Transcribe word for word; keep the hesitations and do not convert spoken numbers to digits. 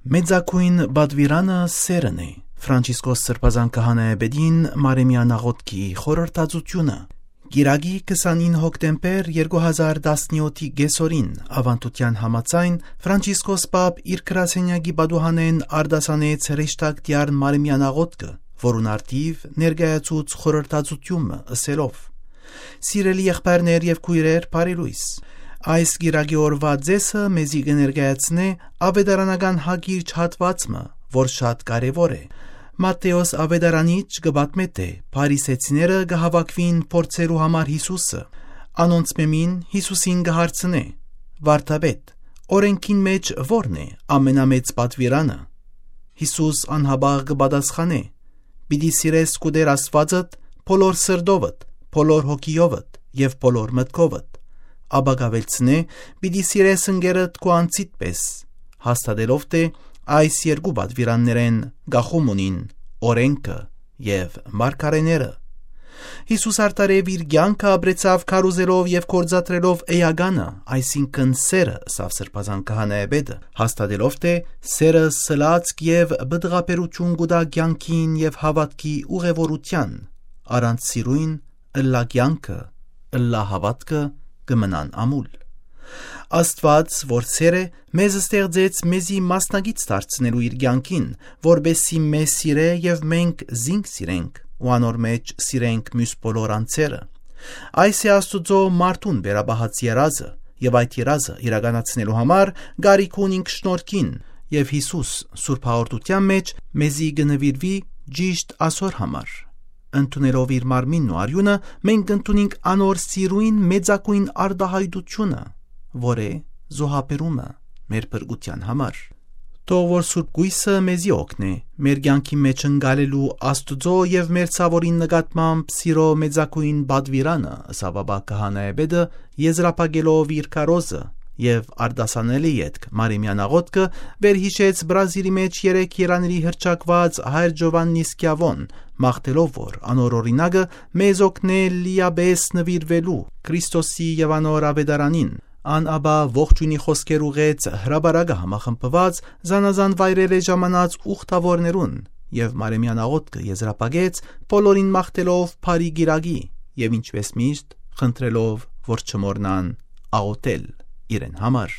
Մեծագոյն պատուիրանը սերն է։ Ֆրանցիսկոս Սրբազան Քահանայապետին Մարեմեան աղօթքի խորհրդածութիւնը։ Կիրակի քսանինը հոկտեմբեր երկու հազար տասնեօթի կեսօրին, աւանդութեան համաձայն, Ֆրանցիսկոս Պապ իր գրասենյակի պատուհանէն արտասանեց հրեշտակտեան Մարեմեան աղօթքը, որուն առթիւ ներկայացուց խորհրդածութիւնը, ըսելով. «Սիրելի եղբայրներ եւ քոյրեր, բարի լոյս։ Այս կիրակի օրուայ ձեզը մեզի կը ներկայացնէ աւետարանական հակիրճ հատուած մը, որ շատ կարեւոր է։ Մատթէոս աւետարանիչ կը պատմէ, թէ փարիսեցիները կը հաւաքուին փորձելու համար Յիսուսը։ Անոնցմէ մին Յիսուսին կը հարցնէ. "Վարդապետ, օրէնքին մէջ ո՞րն է ամենամեծ պատուիրանը"։ Յիսուս անհապաղ կը պատասխանէ. "Պիտի սիրես քու Տէր Աստուածդ բոլոր սրտովդ, բոլոր հոգիովդ եւ բոլոր մտքովդ"։ Ապա կ'աւելցնէ. "Պիտի սիրես ընկերդ քու անձիդ պէս", հաստատելով թէ այս երկու պատուիրաններէն կախում ունին օրէնքը եւ մարգարէները։ Յիսուս արդարեւ իր կեանքը ապրեցաւ քարոզելով եւ գործադրելով էականը, այսինքն՝ սերը, ըսաւ Սրբազան Քահանայապետը, հաստատելով թէ սերը սլաց եւ պտղաբերութիւն կու տայ կեանքին եւ հաւատքի ուղեւորութեան։ Առանց սիրոյն ըլլայ կեանքը, ըլլայ հաւատքը կը մնան ամուլ։ Աստուած, որ սեր է, մեզ ստեղծեց մեզի մասնակից դարձնելու իր կեանքին, որպեսզի մեզ սիրէ եւ մենք զինք սիրենք ու անոր մէջ սիրենք միւս բոլոր անձերը։ Այս է Աստուծոյ մարդուն վերապահած երազը, եւ այդ երազը իրականացնելու համար կարիք ունինք շնորհքին, եւ Յիսուս Սուրբ Հաղորդութեան մէջ մեզի կը նուիրուի ճիշտ ասոր համար։ Ընդունելով իր մարմինն ու արիւնը, մենք կ'ընդունինք անոր սիրոյն մեծագոյն արտայայտութիւնը, որ է զոհաբերումը մեր փրկութեան համար։ Թող որ Սուրբ Կոյսը մեզի օգնէ մեր կեանքի մէջ ընկալելու Աստուծոյ եւ մեր ցաւորին նկատմամբ սիրոյ մեծագոյն պատուիրանը, ըսաւ ապա Քահանայապետը, եզրափակելով իր քարոզը, եւ արտասանելի ետք Մարեմեան աղօթքը, վերյիշեց Բրազիլի մէջ երեք երանիրի հռչակուած Հայր Ջովաննի Սքիաւոն, մաղթելով որ անոր օրինակը մեզ օգնէ լիապէս նուիրուելու Քրիստոսի եւ անոր աւետարանին։ Ան ապա ողջոյնի խօսքեր ուղղեց հրապարակը համախմբուած զանազան վայրերէ ժամանած ուխտաւորներուն եւ Մարեմեան աղօթքը եզրափակեց, բոլորին մաղթելով բարի կիրակի եւ, ինչպէս միշտ, խնդրելով որ չմոռնան աղօթել իրեն համար։